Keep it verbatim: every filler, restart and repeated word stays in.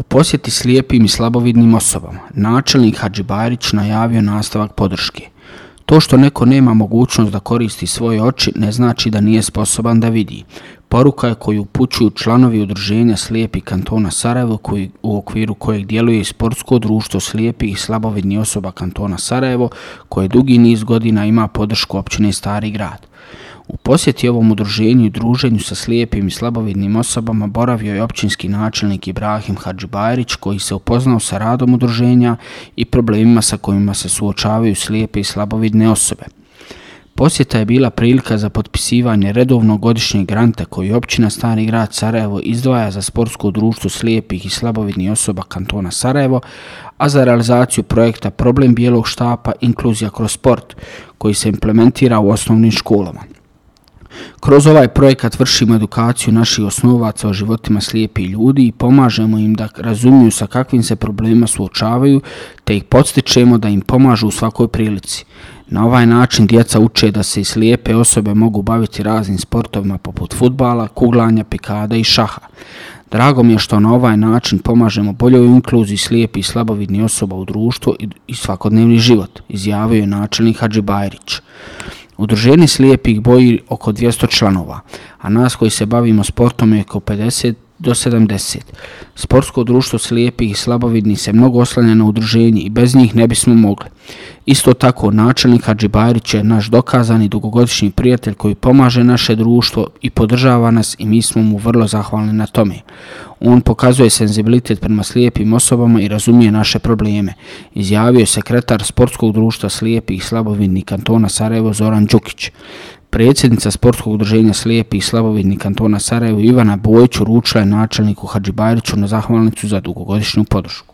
U posjeti slijepim i slabovidnim osobama, načelnik Hadžibajrić najavio nastavak podrške. To što neko nema mogućnost da koristi svoje oči ne znači da nije sposoban da vidi. Poruka je koju upućuju članovi udruženja slijepih kantona Sarajevo, koji, u okviru kojeg djeluje i sportsko društvo slijepih i slabovidnih osoba kantona Sarajevo, koje dugi niz godina ima podršku općine Stari grad. U posjeti ovom udruženju i druženju sa slijepim i slabovidnim osobama boravio je općinski načelnik Ibrahim Hadžibajrić, koji se upoznao sa radom udruženja i problemima sa kojima se suočavaju slijepe i slabovidne osobe. Posjeta je bila prilika za potpisivanje redovnog godišnjeg granta koji općina Stari grad Sarajevo izdvaja za sportsko društvo slijepih i slabovidnih osoba kantona Sarajevo, a za realizaciju projekta Problem bijelog štapa inkluzija kroz sport, koji se implementira u osnovnim školama. Kroz ovaj projekat vršimo edukaciju naših osnovaca o životima slijepih ljudi i pomažemo im da razumiju sa kakvim se problemima suočavaju, te ih podstičemo da im pomažu u svakoj prilici. Na ovaj način djeca uče da se i slijepe osobe mogu baviti raznim sportovima poput fudbala, kuglanja, pikada i šaha. Drago mi je što na ovaj način pomažemo boljoj inkluziji slijepih i slabovidnih osoba u društvo i svakodnevni život, izjavio je načelnik Hadžibajrić. Udruženje slijepih broji oko dvjesto članova, a nas koji se bavimo sportom je oko pedeset do sedamdeset. Sportsko društvo slijepih i slabovidnih se mnogo oslanja na udruženje i bez njih ne bismo mogli. Isto tako, načelnik Hadžibajrić je naš dokazani dugogodišnji prijatelj koji pomaže naše društvo i podržava nas i mi smo mu vrlo zahvalni na tome. On pokazuje senzibilitet prema slijepim osobama i razumije naše probleme, izjavio je sekretar Sportskog društva slijepih i slabovidnih kantona Sarajevo Zoran Đukić. Predsjednica Sportskog udruženja slijepih i slabovidnih kantona Sarajevo Ivana Bojić uručila je načelniku Hadžibajriću na zahvalnicu za dugogodišnju podršku.